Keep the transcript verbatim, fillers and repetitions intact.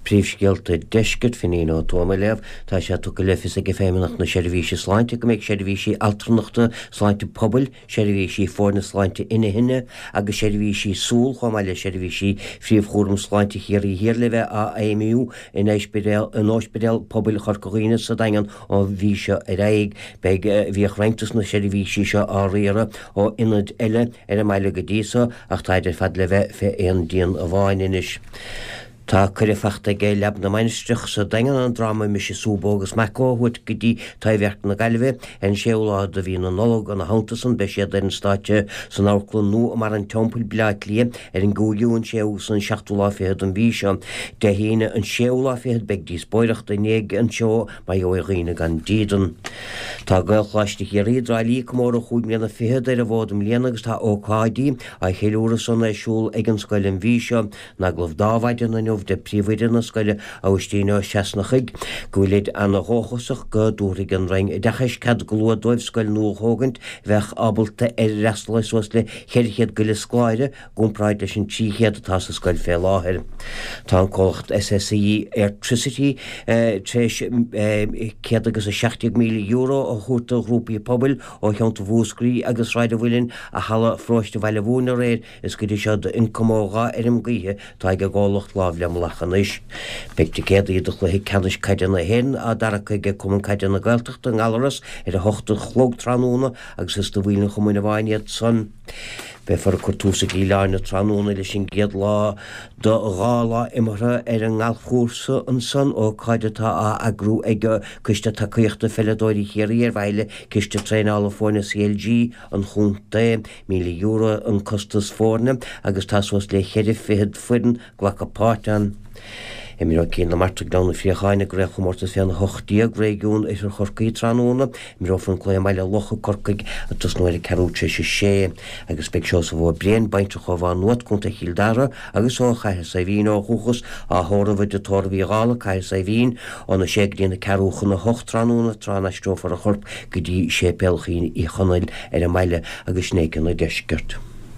Príomhscéalta Deiscirt, Finín Ó Tuama á léamh, tá sé tugtha le fios ag Feidhmeannacht na Seirbhíse Sláinte go mbeidh seirbhísí altranachta, sláinte pobail, seirbhísí foirne sláinte intinne agus seirbhísí súl chomh maith le seirbhísí phríomhchúram sláinte Chiarraí Thiar le bheith á fheidhmiú in in Ospidéal Pobail Chorca Dhuibhne sa Daingean ón mhí seo ar aghaidh. Beidh bhíodh roinnt de na seirbhísí seo á riaradh ó ionaid eile ar an mbaile go dtí so ach táid ar fad le bheith fé aon díon amháin anois. Tá cuireadh fachta ag Leaba na Mainistreach sa Daingean an dráma Mise Súbó agus Maco a thabhairt go dtí Taibhdhearc na Gaillimhe ar an séú lá de mhí na Nollag ina theannta san beidh siad ar an stáitse san Amharclann Nua i mBarra an Teampaill Baile Átha Cliath ar an gcúigiú an séú agus an seachtú lá fichead den mhí seo. Dé hAoine an séú lá fichead beidh díospóireacht i ndiaidh an tseó mar gheall ar dhaoine gan dídean. Tá Gaelcholáiste Chiarraí i dTrá Lí ag comóradh chúig mbliana fichead ar an bhfód i mbliana agus tá ócáidí á cheiliúradh san ar siúl ag an scoil an mhí seo. In agallamh d'Adhmhaidin inniu deir príomhoide na scoile Aibhistín Ó Seasnachaigh go bhfuilid ana-dhóchasach go dtabharfaidh an Roinn Oideachais cead go luath dóibh scoil nua a thógaint bheadh ábalta ar fhreastal ar suas le ceithre chéad go leith scoláire i gcomparáid leis an trí chéad atá sa scoil fé láthair. Tá an comhlacht SSE Airtricity tar éis céad agus a seacht déag míle euro a thabhairt do ghrúpaí pobail ó cheantar Mhúscraí agus Sráid an Mhuilinn a halla pharóiste Bhaile Mhúirne aréir is go dtí seo d'ioncam ó dhá fheirm gaoithe atá ag an gcomhlacht lámh le Mullach anois. Beidh ticéadaí do chluiche ceannais caide na hÉireann á dtarrac ag Cumann Caide na Gaeltachta i nGallaras ar a hocht a chlog tráthnóna agus is do bhaill an chumainn amháin iad san. Beifear ag cur tús i gCill Airne tráthnóna leis an gcéad lá de dhá lá imeartha ar an ngalfchúrsa ansan, ócáid atá á eagrú ag Coiste Tacaíochta Pheileadóirí Chiarraí ar mhaithe le Ciste Traenála Foirne CLG an chontae. Míle euro an costas foirne agus tá suas le ceithre fichead foireann ag glacadh páirt ann. Imreoidh Cill na Martra Gleann Uí Phríocháin i gCraobhchomórtas fiche a hocht déag Réigiún Oirthear Chorcaí tráthnóna. Imreofar an cluiche i mBaile Locha, Corcaigh, ag tosnú ar a ceathrú tar éis a sé agus beidh Seosamh Ó Briain, baintreach ó Mhá Nuad, Contae Chill Dara, agus ó Chathair Saidhbhín ó dhúchas, á thórramh i dtigh tórraimh Uí Dhálaigh, Cathair Saidhbhín, óna sé go dtí na ceathrú chun a hocht tráthnóna, tráth a n-aistreofar a chorp go dtí Séipéal Chill Uí Chonaill ar an mbaile agus sin é cionn an deiscirt.